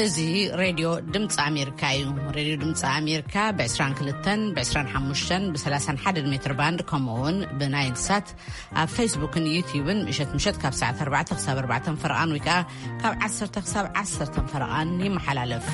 እዚ ሬድዮ ድምፂ ኣሜሪካ እዩ። ሬድዮ ድምፂ ኣሜሪካ ብ22፣ ብ25፣ ብ31 ሜትር ባንድ፣ ከምኡ እውን ብናይል ሳት ኣብ ፌስቡክን ዩቲዩብን ምሸት ምሸት ካብ ሰዓት ኣርባዕተ ክሳብ ኣርባዕተ ፈረቓን ወይ ከዓ ካብ ዓሰርተ ክሳብ ዓሰርተ ፈረቓን ይመሓላለፍ።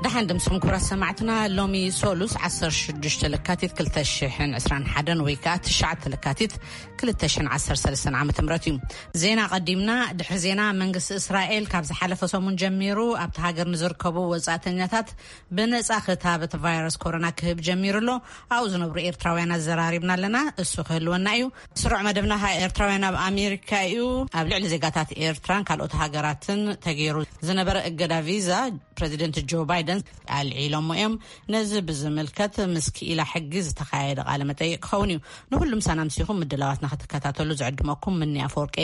ደሓን ድምስኹም ክቡራት ሰማዕትና፣ ሎሚ ሶሉስ ዓሰርተ ሽዱሽተ ለካቲት ክልተ ሽሕን ዕስራን ሓደን ወይ ከዓ ትሽዓተ ለካቲት ክልተ ሽሕን ዓሰርተ ሰለስተን ዓመተ ምህረት እዩ። ዜና ቀዲምና። ድሕሪ ዜና፣ መንግስቲ እስራኤል ካብ ዝሓለፈ ሰሙን ጀሚሩ ኣብቲ ሃገር ንዝርከቡ ወጻእተኛታት ብነጻ ክታበት ቫይረስ ኮሮና ክህብ ጀሚሩ ኣሎ። ኣብኡ ዝነብሩ ኤርትራውያን ኣዘራሪብና ኣለና። እሱ ክህልወና እዩ። ስሩዕ መደብና ከኣ ኤርትራውያን ኣብ ኣሜሪካ እዩ። ኣብ ልዕሊ ዜጋታት ኤርትራን ካልኦት ሃገራትን ተገይሩ ዝነበረ እገዳ ቪዛ ፕረዚደንት ጆ ባይደን ኣልዒሎሞ እዮም። ነዚ ብዝምልከት ምስ ክኢላ ሕጊ ዝተኻየደ ቃለ መጠይቅ ክኸውን እዩ። ንኹሉ ምሳና ምሲኹም ምድላዋትና ክትከታተሉ ዝዕድመኩም ምኒ ኣፈወርቂ።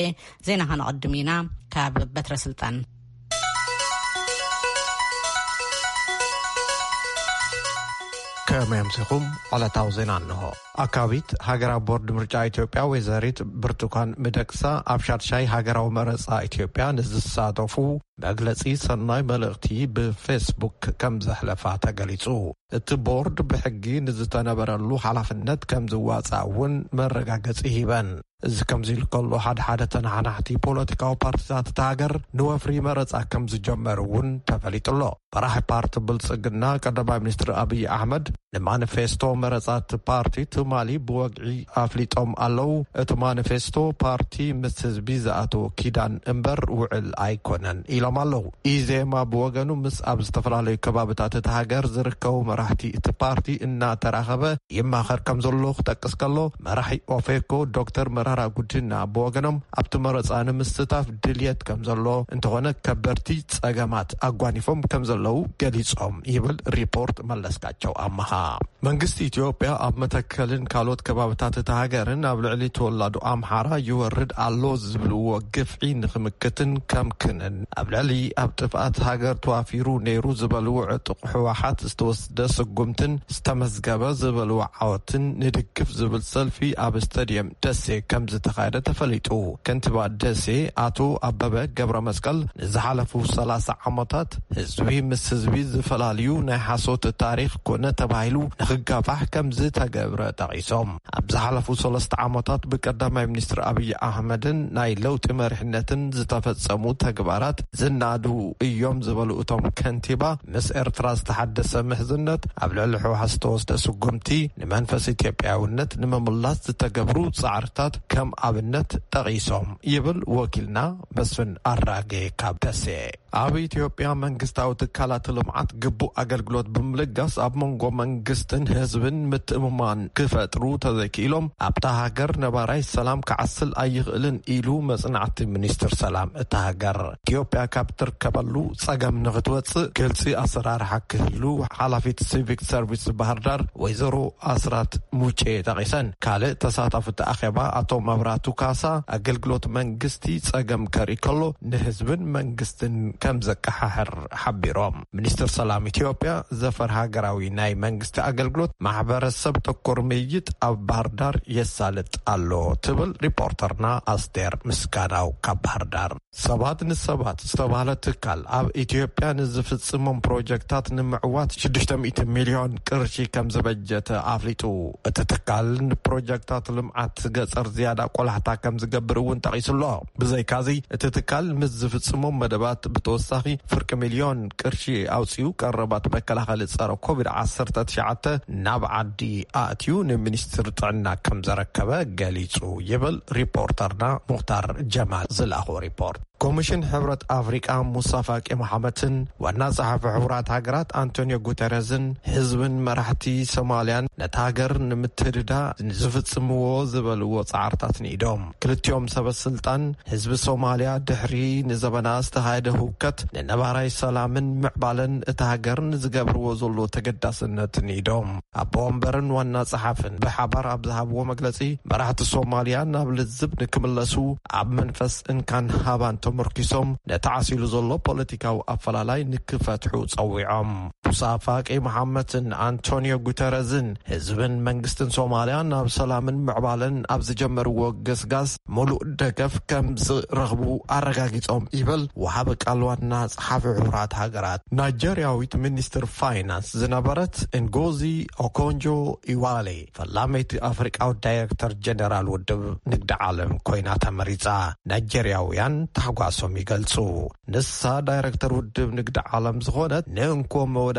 ዜና ከነቐድም ኢና ካብ በትረ ስልጣን። ከመይ ኣምሲኹም? ዕለታዊ ዜና እንሆ። ኣካቢት ሃገራዊ ቦርድ ምርጫ ኢትዮጵያ ወይዘሪት ብርቱካን ሚደቅሳ ኣብ ሻድሻይ ሃገራዊ መረጻ ኢትዮጵያ ንዝሳተፉ መግለጺ ሰናይ መልእኽቲ ብፌስቡክ ከም ዘሕለፋ ተገሊጹ። እቲ ቦርድ ብሕጊ ንዝተነበረሉ ሓላፍነት ከም ዝዋጻእ እውን መረጋገጺ ሂበን። እዚ ከምዚ ኢሉ ከሎ፣ ሓደ ሓደ ተነሓናሕቲ ፖለቲካዊ ፓርቲታት እታ ሃገር ንወፍሪ መረጻ ከም ዝጀመሩ እውን ተፈሊጡ ኣሎ። መራሒ ፓርቲ ብልጽግና ቀዳማይ ሚኒስትር ኣብይ ኣሕመድ ንማኒፌስቶ መረጻ እቲ ፓርቲ ትማሊ ብወግዒ ኣፍሊጦም ኣለዉ። እቲ ማኒፌስቶ ፓርቲ ምስ ህዝቢ ዝኣተወ ኪዳን እምበር ውዕል ኣይኮነን ኢሎም ኣለዉ። ኢዜማ ብወገኑ ምስ ኣብ ዝተፈላለዩ ከባብታት እቲ ሃገር ዝርከቡ መራሕቲ እቲ ፓርቲ እናተራኸበ ይማኸር ከም ዘሎ ክጠቅስ ከሎ፣ መራሒ ኦፌኮ ዶክተር መራራ ጉዲና ብወገኖም ኣብቲ መረጻ ንምስታፍ ድልየት ከም ዘሎ፣ እንተኾነ ከበድቲ ጸገማት ኣጓኒፎም ከም ዘለዉ ገሊጾም ይብል ሪፖርት መለስካቸው ኣመሃ። መንግስቲ ኢትዮጵያ ኣብ መተከልን ካልኦት ከባብታት እታ ሃገርን ኣብ ልዕሊ ተወላዶ ኣምሓራ ይወርድ ኣሎ ዝብልዎ ግፍዒ ንክምክትን ከምክንን፣ ኣብ ልዕሊ ኣብ ጥፍኣት ሃገር ተዋፊሩ ነይሩ ዝበልዎ ዕጡቕ ህወሓት ዝተወስደ ስጉምትን ዝተመዝገበ ዝበልዎ ዓወትን ንድግፍ ዝብል ሰልፊ ኣብ ስታድየም ደሴ ከም ዝተኻየደ ተፈሊጡ። ከንቲባ ደሴ ኣቶ ኣበበ ገብረ መስቀል፣ ንዝሓለፉ ሰላሳ ዓመታት ህዝቢ ምስ ህዝቢ ዝፈላልዩ ናይ ሓሶት ታሪኽ ኮነ ተባሂሉ ንክጋፋሕ ከም ዝተገብረ ጠቒሶም፣ ኣብ ዝሓለፉ ሰለስተ ዓመታት ብቀዳማይ ሚኒስትር ኣብይ ኣሕመድን ናይ ለውጢ መሪሕነትን ዝተፈጸሙ ተግባራት ዝናዱ እዮም ዝበሉ እቶም ከንቲባ፣ ምስ ኤርትራ ዝተሓደሰ ምሕዝነት፣ ኣብ ልዕሊ ህወሓት ዝተወስደ ስጉምቲ፣ ንመንፈስ ኢትዮጵያውነት ንምምላስ ዝተገብሩ ጻዕርታት ከም ኣብነት ጠቒሶም ይብል ወኪልና መስፍን ኣራጌ ካብ ደሴ። ኣብ ኢትዮጵያ መንግስታዊ ትካላት ልምዓት ግቡእ ኣገልግሎት ብምልጋስ ኣብ መንጎ መንግስትን ህዝብን ምትእምማን ክፈጥሩ ተዘይክኢሎም ኣብታ ሃገር ነባራይ ሰላም ክዓስል ኣይኽእልን ኢሉ መጽናዕቲ ሚኒስትር ሰላም እታ ሃገር። ኢትዮጵያ ካብ ትርከበሉ ጸገም ንኽትወጽእ ግልጺ ኣሰራርሓ ክህሉ ሓላፊት ሲቪክ ሰርቪስ ባህር ዳር ወይዘሮ ኣስራት ሙጬ ጠቒሰን። ካልእ ተሳታፊ እቲ ኣኼባ ኣቶ መብራቱ ካሳ ኣገልግሎት መንግስቲ ጸገም ከርኢ ከሎ ንህዝብን መንግስትን ከም ዘቀሓሕር ሓቢሮም። ሚኒስትር ሰላም ኢትዮጵያ ዘፈር ሃገራዊ ናይ መንግስቲ ኣገልግሎት ማሕበረሰብ ተኮር ምይይጥ ኣብ ባህር ዳር የሳልጥ ኣሎ ትብል ሪፖርተርና ኣስቴር ምስጋናው ካብ ባህር ዳር። ሰባት ንሰባት ዝተባህለ ትካል ኣብ ኢትዮጵያ ንዝፍጽሞም ፕሮጀክታት ንምዕዋት ሽዱሽተ ሚእቲ ሚልዮን ቅርሺ ከም ዝበጀተ ኣፍሊጡ። እቲ ትካል ንፕሮጀክታት ልምዓት ገጸር ዝያዳ ቆላሕታ ከም ዝገብር እውን ጠቒሱ ኣሎ። ብዘይካዚ፣ እቲ ትካል ምስ ዝፍጽሞም መደባት ብተወሳኺ ፍርቂ ሚልዮን ቅርሺ ኣውጺኡ ቀረባት መከላኸሊ ጸረ ኮቪድ ዓሰርተ ትሽዓተ ናብ ዓዲ ኣእትዩ ንሚኒስትሪ ጥዕና ከም ዘረከበ ገሊጹ ይብል ሪፖርተርና ሙኽታር ጀማል ዝለኣኾ ሪፖርት። ኮሚሽን ሕብረት ኣፍሪቃ ሙሳ ፋቂ መሓመትን ዋና ጸሓፊ ሕቡራት ሃገራት ኣንቶኒዮ ጉተረዝን ህዝብን መራሕቲ ሶማልያን ነታ ሃገር ንምትህድዳ ንዝፍጽምዎ ዝበልዎ ጻዕርታት ንኢዶም። ክልቲኦም ሰበ ስልጣን ህዝቢ ሶማልያ ድሕሪ ንዘበና ዝተኻየደ ህውከት ንነባራይ ሰላምን ምዕባለን እታ ሃገር ንዝገብርዎ ዘሎ ተገዳስነት ንኢዶም። ኣቦ ወንበርን ዋና ጸሓፍን ብሓባር ኣብ ዝሃብዎ መግለጺ፣ መራሕቲ ሶማልያ ናብ ልዝብ ንክምለሱ፣ ኣብ መንፈስ እንካን ሃባን ተመርኪሶም ነቲ ዓሲሉ ዘሎ ፖለቲካዊ ኣፈላላይ ንክፈትሑ ጸዊዖም። ሙሳ ፋቂ መሓመትን ኣንቶኒዮ ጉተረዝን ህዝብን መንግስትን ሶማልያ ናብ ሰላምን ምዕባለን ኣብ ዝጀመርዎ ገስጋስ ሙሉእ ደገፍ ከም ዝረኽቡ ኣረጋጊጾም ይብል ወሃቢ ቃል ዋና ጸሓፊ ሕቡራት ሃገራት። ናይጀርያዊት ሚኒስትር ፋይናንስ ዝነበረት እንጎዚ ኦኮንጆ ኢዋሌ ፈላመይቲ ኣፍሪቃዊት ዳይሬክተር ጀነራል ውድብ ንግዲ ዓለም ኮይና ተመሪጻ። ናይጀርያውያን ታሕጓሶም ይገልጹ። ንሳ ዳይሬክተር ውድብ ንግዲ ዓለም ዝኾነት ንእንኮ መወዳድርታ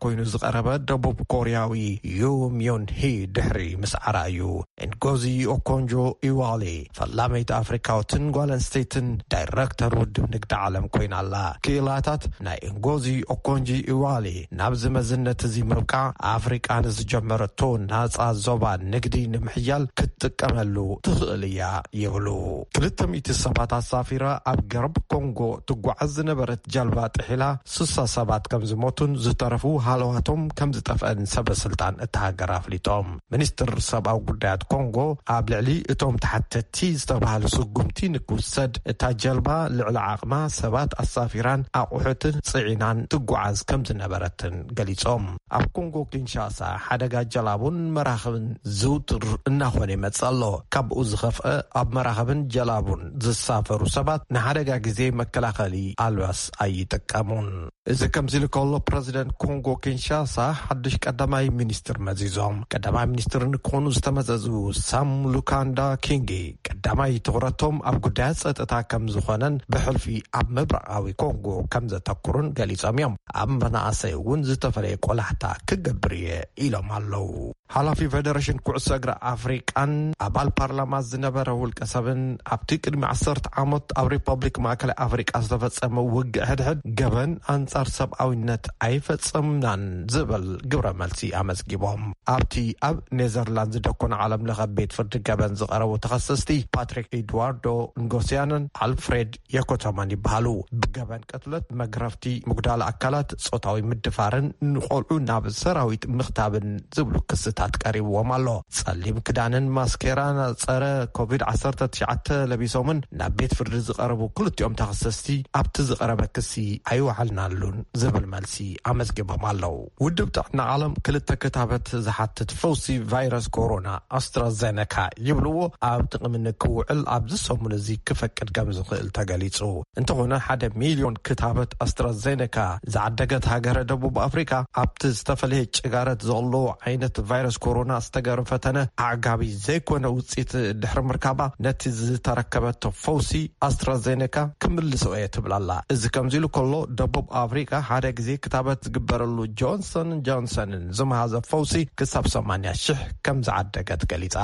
ኮይኑ ዝቐረበ ደቡብ ኮርያዊ ዩ ሚዮን ሂ ድሕሪ ምስዓራ እዩ። እንጎዚ ኦኮንጆ ኢዋሌ ፈላመይቲ ኣፍሪካዊትን ጓል ኣንስተይትን ዳይሬክተር ውድብ ንግዲ ዓለም ኮይና ኣላ። ክኢላታት ናይ እንጎዚ ኦኮንጂ ኢዋሌ ናብዚ መዝነት እዚ ምብቃዕ ኣፍሪቃ ንዝጀመረቶ ናጻ ዞባ ንግዲ ንምሕያል ክትጥቀመሉ ትኽእል እያ ይብሉ። ክልተ ሚእቲ ሰባት ኣሳፊራ ኣብ ገርብ ኮንጎ ትጓዓዝ ዝነበረት ጀልባ ጥሒላ ስሳ ሰባት ከም ዝሞቱን ዝተረፉ ሃለዋቶም ከም ዝጠፍአን ሰበ ስልጣን እታ ሃገር ኣፍሊጦም። ሚኒስትር ሰብኣዊ ጉዳያት ኮንጎ ኣብ ልዕሊ እቶም ተሓተቲ ዝተባህሉ ስጉምቲ ንክውሰድ እታ ጀልባ ልዕሊ ዓቕማ ሰባት ኣሳፊራን ኣቑሑትን ጽዒናን ትጓዓዝ ከም ዝነበረትን ገሊጾም። ኣብ ኮንጎ ኪንሻሳ ሓደጋ ጀላቡን መራኽብን ዝውትር እናኾነ ይመጽእ ኣሎ። ካብኡ ዝኸፍአ ኣብ መራኽብን ጀላቡን ዝሳፈሩ ሰባት ንሓደጋ ግዜ መከላኸሊ ኣልባስ ኣይጥቀሙን። እዚ ከምዚ ኢሉ ከሎ ፕረዚደንት ኮንጎ ኪንሻሳ ሓድሽ ቀዳማይ ሚኒስትር መዚዞም። ቀዳማይ ሚኒስትር ንክኾኑ ዝተመዘዙ ሳም ሉካንዳ ኪንጊ ቀዳማይ ትኹረቶም ኣብ ጉዳያት ጸጥታ ከም ዝኾነን ብሕልፊ ኣብ ምብራቓዊ ኮንጎ ከም ዘተኩሩን ገሊጾም እዮም። ኣብ መናእሰይ እውን ዝተፈለየ ቆላሕታ ክገብር እየ ኢሎም ኣለዉ። ሓላፊ ፌደሬሽን ኩዕሶ እግሪ ኣፍሪቃን ኣባል ፓርላማ ዝነበረ ውልቀ ሰብን ኣብቲ ቅድሚ ዓሰርተ ዓመት ኣብ ሪፐብሊክ ማእከላይ ኣፍሪቃ ዝተፈጸመ ውግእ ሕድሕድ ገበን ኣንጻር ሰብኣዊነት ኣይፈጸምናን ዝብል ግብረ መልሲ ኣመዝጊቦም። ኣብቲ ኣብ ኔዘርላንድ ዝደኮነ ዓለም ለኸ ቤት ፍርዲ ገበን ዝቐረቡ ተኸሰስቲ ፓትሪክ ኤድዋርዶ ንጎስያንን ኣልፍሬድ የኮቶማን ይበሃሉ። ብገበን ቅትለት፣ መግረፍቲ፣ ምጉዳል ኣካላት፣ ጾታዊ ምድፋርን ንቆልዑ ናብ ሰራዊት ምኽታብን ዝብሉ ክስታት ቀሪብዎም ኣሎ። ጸሊም ክዳንን ማስኬራን ጸረ ኮቪድ ዓሰርተ ትሽዓተ ለቢሶምን ናብ ቤት ፍርዲ ዝቐረቡ ክልቲኦም ተኸሰስቲ ኣብቲ ዝቐረበ ክሲ ኣይወዓልናሉን ዝብል መልሲ ኣመዝጊቦም ኣለዉ። ውድብ ጥዕና ዓለም ክልተ ክታበት ዝሓትት ፈውሲ ቫይረስ ኮሮና ኣስትራዘነካ ይብልዎ ኣብ ጥቕሚ ንክውዕል ኣብዚ ሰሙን እዚ ክፈቅድ ከም ዝኽእል ተገሊጹ። እንተኾነ ሓደ ሚልዮን ክታበት ኣስትራዘነካ ዝዓደገት ሃገረ ደቡብ ኣፍሪካ ኣብቲ ዝተፈለየ ጭጋረት ዘሎ ዓይነት ቫይረስ ኮሮና ዝተገበረ ፈተነ ኣዕጋቢ ዘይኮነ ውፅኢት ድሕሪ ምርካባ ነቲ ዝተረከበቶ ፈውሲ ኣስትራዘነካ ክምልሶ እየ ትብል ኣላ። እዚ ከምዚ ኢሉ ከሎ ደቡብ ኣፍሪካ ሓደ ግዜ ክታበት ዝግበረሉ ጆንሰን ጆንሰንን ዝመሃዘ ፈውሲ ክሳብ ሰማንያ ሽሕ ከም ዝዓደገት ገሊጻ።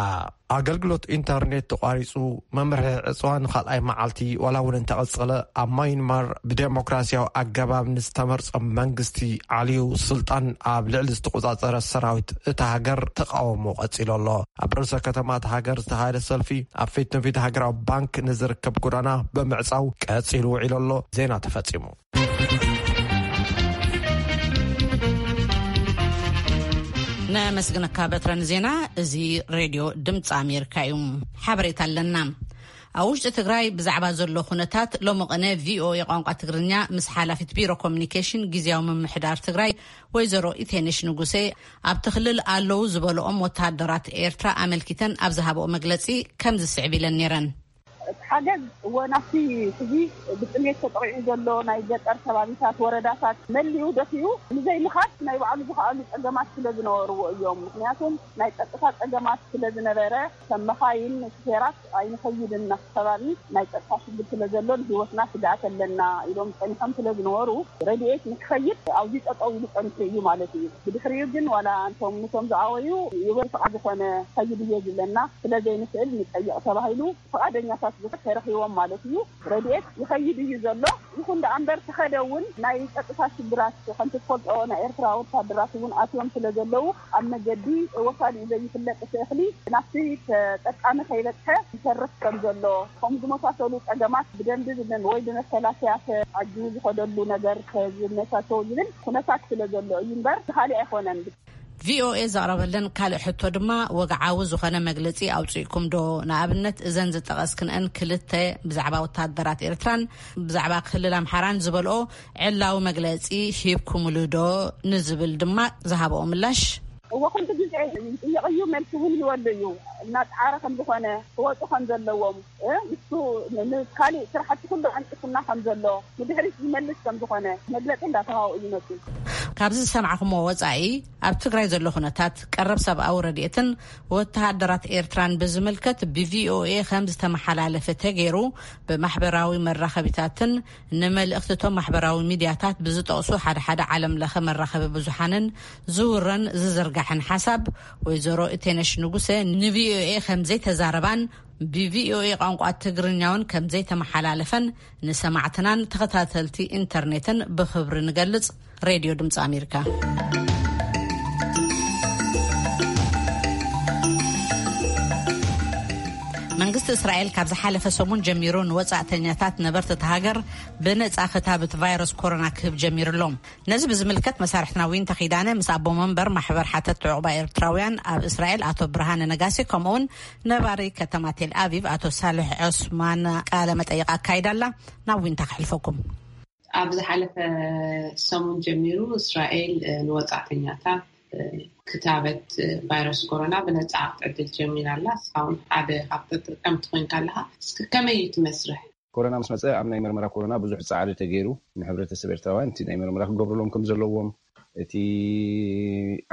ኣገልግሎት ኢንተርኔት ተቋሪጹ፣ መምርሒ ዕጽዋ ንኻልኣይ መዓልቲ ዋላ እውን እንተቐጸለ፣ ኣብ ማይንማር ብዴሞክራሲያዊ ኣገባብ ንዝተመርጸ መንግስቲ ዓልዩ ስልጣን ኣብ ልዕሊ ዝተቆጻጸረ ሰራዊት እታ ሃገር ተቃውሞ ቀጺሉ ኣሎ። ኣብ ርእሰ ከተማ እታ ሃገር ዝተኻየደ ሰልፊ ኣብ ፊት ንፊት ሃገራዊ ባንክ ንዝርከብ ጎዳና ብምዕጻው ቀጺሉ ውዒሉ ኣሎ። ዜና ተፈጺሙ። ነመስግነካ በትረ ንዜና። እዚ ሬድዮ ድምፂ ኣሜሪካ እዩ። ሓበሬታ ኣለና። ኣብ ውሽጢ ትግራይ ብዛዕባ ዘሎ ኩነታት ሎሚ ቅነ ቪኦኤ ቋንቋ ትግርኛ ምስ ሓላፊት ቢሮ ኮሚኒኬሽን ግዝያዊ ምምሕዳር ትግራይ ወይዘሮ ኢቴነሽ ንጉሴ ኣብቲ ክልል ኣለዉ ዝበልኦም ወተሃደራት ኤርትራ ኣመልኪተን ኣብ ዝሃብኦ መግለፂ ከምዚ ስዕብ ኢለን ነይረን። እቲ ሓገዝ እወ ናብቲ ሕዚ ብጥሜት ተጠቒዑ ዘሎ ናይ ገጠር ከባቢታት፣ ወረዳታት መሊኡ ደፊኡ ንዘይምኻድ ናይ ባዕሉ ዝኸኣሉ ጸገማት ስለ ዝነበርዎ እዮም። ምኽንያቱም ናይ ጸጥታ ጸገማት ስለ ዝነበረ፣ ከም መኻይን፣ ሹፌራት ኣይንኸይድን ናብቲ ከባቢ፣ ናይ ጸጥታ ሽግር ስለ ዘሎ ንህይወትና ስግኣት ኣለና ኢሎም ጸኒሖም ስለ ዝነበሩ፣ ረድኤት ንክኸይድ ኣብዚ ጠጠው ኢሉ ጸኒሑ እዩ ማለት እዩ። ብድሕሪኡ ግን ዋላ እንቶም ንቶም ዝኣወዩ ይበል ፍቓድ ዝኾነ ከይድ እየ ዝብለና ስለ ዘይንኽእል ንጠይቕ ተባሂሉ ፍቓደኛታት ብዙሕ ተረኺቦም ማለት እዩ። ረድኤት ይኸይድ እዩ ዘሎ። ይኹን ደኣ እምበር ተኸደ እውን ናይ ጸጥታ ሽግራት ከምቲ ትፈልጦ ናይ ኤርትራ ወታደራት እውን ኣትዮም ስለ ዘለዉ ኣብ መገዲ ወሳድኡ ዘይፍለጥ እቲ እኽሊ ናብቲ ተጠቃሚ ከይበጽሐ ይተርፍ ከም ዘሎ፣ ከምኡ ዝመሳሰሉ ጸገማት ብደንቢ ዝመ-፣ ወይ ብመከላከያ ተዓጅቡ ዝኸደሉ ነገር ዝመቻቸው ዝብል ኩነታት ስለ ዘሎ እዩ እምበር፣ ካልእ ኣይኮነን። ቪኦኤ ዘቕረበለን ካልእ ሕቶ ድማ፣ ወግዓዊ ዝኾነ መግለጺ ኣውጺእኩም ዶ? ንኣብነት፣ እዘን ዝጠቐስክንአን ክልተ፣ ብዛዕባ ወታደራት ኤርትራን ብዛዕባ ክልል ኣምሓራን ዝበልኦ፣ ዕላዊ መግለጺ ሂብኩምሉ ዶ ንዝብል ድማ ዝሃበኦ ምላሽ። እወ፣ ኩሉ ግዜ ይጥየቕ እዩ፣ መልሲ እውን ይወሉ እዩ። እናጸዓረ ከም ዝኾነ፣ ክወጹ ከም ዘለዎም፣ እ፣ ንሱ ን-፣ ንካሊእ ስራሕቲ ኩሉ ዓንቂፉና ከም ዘሎ፣ ንድሕሪት ዝመልስ ከም ዝኾነ መግለጺ እንዳተሃቡ እዩ መጽኡ። ካብዚ ዝሰማዕኩሞ ወጻኢ፣ ኣብ ትግራይ ዘሎ ኩነታት፣ ቀረብ ሰብኣዊ ረድኤትን ወተሃደራት ኤርትራን ብዝምልከት ብቪኦኤ ከም ዝተመሓላለፈ ተገይሩ፣ ብማሕበራዊ መራኸቢታትን ንመልእኽትቶም ማሕበራዊ ሚድያታት ብዝጠቕሱ ሓደ ሓደ ዓለም ለኸ መራኸቢ ብዙሓንን ዝውረን ዝዝርጋሕን ሓሳብ፣ ወይዘሮ እቴነሽ ንጉሰ ንቪኦኤ ከም ዘይተዛረባን፣ ብቪኦኤ ቋንቋ ትግርኛውን ከም ዘይተመሓላለፈን ንሰማዕትናን ተኸታተልቲ ኢንተርኔትን ብኽብሪ ንገልጽ። ሬድዮ ድምፂ ኣሜሪካ። መንግስቲ እስራኤል ካብ ዝሓለፈ ሰሙን ጀሚሩ ንወጻእተኛታት ነበርቲ እታ ሃገር ብነጻ ክታብት ቫይረስ ኮሮና ክህብ ጀሚሩ ኣሎ። ነዚ ብዝምልከት መሳርሕትና ዊንታ ኪዳነ ምስ ኣቦ መንበር ማሕበር ሓተት ዕቑባ ኤርትራውያን ኣብ እስራኤል ኣቶ ብርሃነ ነጋሲ፣ ከምኡውን ነባሪ ከተማ ቴል ኣቪቭ ኣቶ ሳልሕ ዑስማን ቃለ መጠይቕ ኣካይዳ ኣላ። ናብ ዊንታ ከሕልፈኩም። ኣብ ዝሓለፈ ሰሙን ጀሚሩ እስራኤል፣ እ፣ ንወጻእተኛታት፣ እ፣ ክታበት፣ እ፣ ቫይረስ ኮሮና ብነጻ ክትዕድል ጀሚራ ኣላ። እስኻ እውን ሓደ ካብ ተጠቀምቲ ኮይንካ ኣለኻ። እስኪ ከመይ እዩ እቲ መስርሕ? ኮሮና ምስ መጸ ኣብ ናይ መርመራ ኮሮና ብዙሕ ጻዕሪ ተገይሩ። ንሕብረተሰብ ኤርትራውያን እቲ ናይ መርመራ ክገብሩሎም ከም ዘለዎም፣ እቲ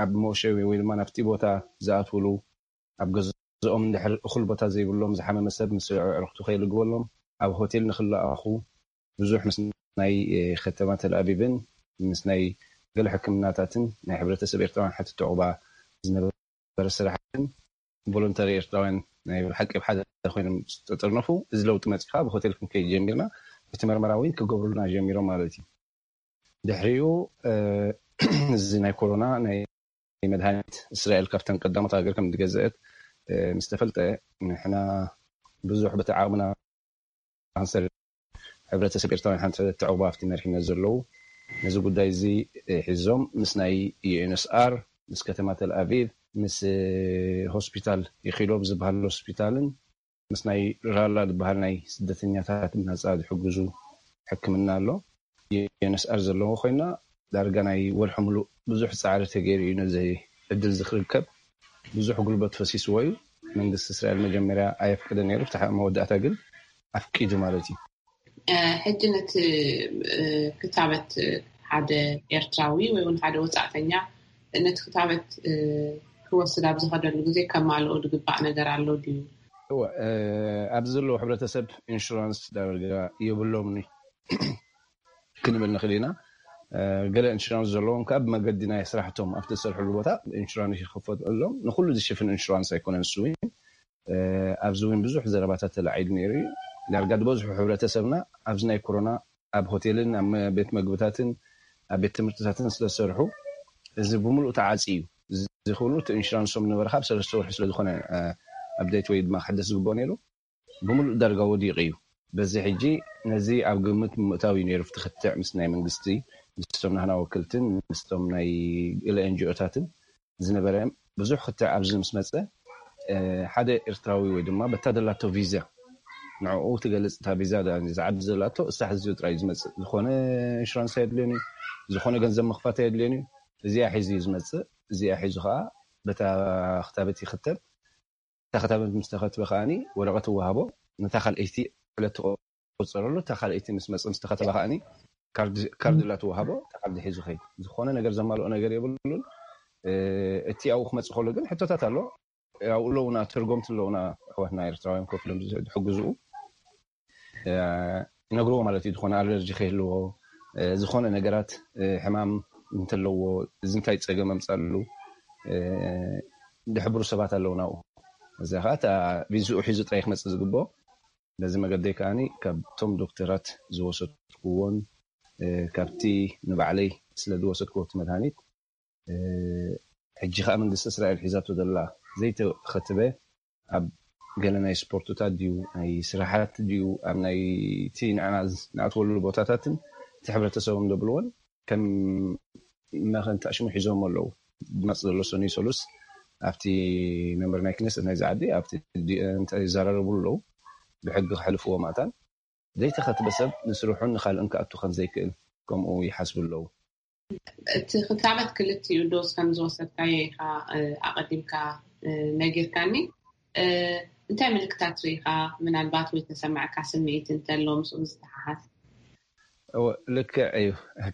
ኣብ መወሸቢ ወይ ድማ ናብቲ ቦታ ዝኣትውሉ ኣብ ገዝኦም እንድሕር እኹል ቦታ ዘይብሎም ዝሓመመ ሰብ ምስ ኣዕሩኽቱ ከይልግበሎም፣ ኣብ ሆቴል ንኽለኣኹ ብዙሕ ምስ ናይ፣ እ፣ ከተማ ተልኣቪቭን ምስ ናይ ገለ ሕክምናታትን ናይ ሕብረተሰብ ኤርትራውያን ሓተት ዕቑባ ዝነበረ ስራሕትን ቮለንተሪ ኤርትራውያን ናይ ብሓቂ ኣብ ሓደ ኮይኖም ዝተጠርነፉ፣ እዚ ለውጢ መጺኻ ብሆቴል ክንከይድ ጀሚርና፣ እቲ መርመራ እውን ክገብሩልና ጀሚሮም ማለት እዩ። ድሕሪኡ፣ እ፣ እዚ ናይ ኮሮና ናይ መድሃኒት እስራኤል ካብተን ቀዳሞት ሃገር ከም ዝገዘአት፣ እ፣ ምስ ተፈልጠ፣ ንሕና ብዙሕ በቲ ዓቕምና ካንሰር ሕብረተሰብ ኤርትራውያን ሓንቲ ዕቑባ ኣብቲ መሪሕነት ዘለዉ ነዚ ጉዳይ እዚ፣ እ፣ ሒዞም ምስ ናይ ዩ ኤን ኤስ ኣር፣ ምስ ከተማ ተል ኣቪቭ፣ ምስ፣ እ፣ ሆስፒታል ኢኪሎቭ ዝበሃል ሆስፒታልን ምስ ናይ ራላ ዝበሃል ናይ ስደተኛታት ናጻ ዝሕግዙ ሕክምና ኣሎ። ዩ ኤን ኤስ ኣር ዘለዎ ኮይና ዳርጋ ናይ ወርሒ ሙሉእ ብዙሕ ጻዕሪ ተገይሩ እዩ ነዚ ዕድል እዚ ክርከብ። ብዙሕ ጉልበት ፈሲስዎ እዩ። መንግስቲ እስራኤል መጀመርያ ኣየፍቅድን ነይሩ፣ ብታ መወዳእታ ግን ኣፍቂዱ ማለት እዩ። እ፣ ሕጂ ነቲ፣ እ፣ ክታበት ሓደ ኤርትራዊ ወይ እውን ሓደ ወጻእተኛ ነቲ ክታበት፣ እ፣ ክወስድ ኣብ ዝኸደሉ ግዜ ከማልኦ ዝግባእ ነገር ኣሎ ድዩ? እወ፣ እ፣ ኣብዚ ዘለዉ ሕብረተሰብ ኢንሹራንስ ዳርጋ የብሎምን እዩ። ክንብል ንኽእል ኢና። እ፣ ገለ ኢንሹራንስ ዘለዎም ከኣ ብመገዲ ናይ ስራሕቶም ኣብቲ ዝሰርሕሉ ቦታ ኢንሹራንስ ይኽፈተሎም። ንኹሉ ዝሽፍን ኢንሹራንስ ኣይኮነን እሱ እውን። እ፣ ኣብዚ እውን ብዙሕ ዘረባታት ተላዒሉ ነይሩ እዩ። ዳርጋ ዝበዝሑ ሕብረተሰብና ኣብዚ ናይ ኮሮና ኣብ ሆቴልን ኣብ መ-፣ ቤት መግብታትን ኣብ ቤት ትምህርትታትን ስለ ዝሰርሑ እዚ ብምሉእ ተዓጽዩ እዩ። እዚ ክብሉ እቲ ኢንሹራንሶም ንመርካ ኣብ ሰለስተ ወርሒ ስለ ዝኾነ፣ እ፣ ኣፕዴት ወይ ድማ ክሕደስ ዝግብኦ ነይሩ። ብምሉእ ዳርጋ ወዲቑ እዩ። በዚ ሕጂ ነዚ ኣብ ግምት ምእታው እዩ ነይሩ፣ እቲ ክትዕ ምስ ናይ መንግስቲ፣ ምስቶም ናህና ወክልትን ምስቶም ናይ ገለ ኤን ጂ ኦታትን ዝነበረ ብዙሕ ክትዕ ኣብዚ ምስ መጸ፣ እ፣ ሓደ ኤርትራዊ ወይ ድማ በታ ደላቶ ቪዛ፣ ንዕኡ ትገልጽ እታ ቪዛ ዳ-፣ ዝዓቢ ዘላቶ እሳ ሕዚ ጥራይ ዝመጽእ። ዝኾነ ኢንሹራንስ ኣየድልዮን እዩ፣ ዝኾነ ገንዘብ ምኽፋት ኣየድልዮን እዩ። እዚኣ ሒዙ እዩ ዝመጽእ። እዚኣ ሒዙ ከኣ በታ ክታበት ይኽተብ። እታ ክታበት ምስ ተኸትበ ከኣኒ ወረቐት ይወሃቦ። ነታ ካልኣይቲ ዕለት ትቆጸረሉ። እታ ካልኣይቲ ምስ መጸ፣ ምስ ተኸተበ ከኣኒ ካርድ፣ ካርድ ላ ትወሃቦ። እታ ካርድ ሒዙ ኸይድ። ዝኾነ ነገር ዘማልኦ ነገር የብሉን። እ፣ እቲ ኣብኡ ክመጽእ ከሎ ግን ሕቶታት ኣሎ። ኣብኡ ኣለውና፣ ተርጎምቲ ኣለውና፣ ኣሕዋትና ኤርትራውያን ኮፍ ኢሎም ዝሕግዝኡ። እ፣ ይነግርዎ ማለት እዩ። ዝኾነ ኣለርጂ ከይህልዎ፣ እ፣ ዝኾነ ነገራት፣ እ፣ ሕማም እንተለዎ፣ እዚ እንታይ ጸገም ኣምጻሉ፣ እ፣ ዝሕብሩ ሰባት ኣለውና ኣብኡ። እዚ ኸኣ እታ ቪዝኡ ሒዙ ጥራይ ክመጽእ ዝግብኦ። በዚ መገደይ ከኣኒ ካብቶም ዶክተራት ዝወሰድክዎን፣ እ፣ ካብቲ ንባዕለይ ስለ ዝወሰድክዎ እቲ መድሃኒት፣ እ፣ ሕጂ ኸኣ መንግስቲ እስራኤል ሒዛቶ ዘላ ዘይተኸትበ ኣብ ገለ ናይ ስፖርትታት ድዩ፣ ናይ ስራሓት ድዩ፣ ኣብ ናይ እቲ ንዕና ዝ-፣ ንኣትወሉ ቦታታትን እቲ ሕብረተሰቦም ዘብልዎን ከም መኸንታ ሽሙ ሒዞም ኣለዉ። ድማፅ ዘሎ ሰኑይ ሰሉስ ኣብቲ መንበር ናይ ክነሰት ናይዚ ዓዲ ኣብቲ ዲ- እንታይ ይዘራረቡ ኣለዉ። ብሕጊ ክሕልፍዎ ማእታን ዘይተኸትበ ሰብ ንስርሑን ንኻልእን ክኣቱ ከም ዘይክእል ከምኡ ይሓስቡ ኣለዉ። እቲ ክታበት ክልቲኡ ዶዝ ከም ዝወሰድካዮ ኢኻ ኣቐዲምካ ነጊርካኒ። እንታይ ምልክታት ርኢኻ? ምናልባት ወይ ተሰማዕካ ስምዒት እንተሎ ምስኡ ዝተሓሓዝ? ልክዕ እዩ።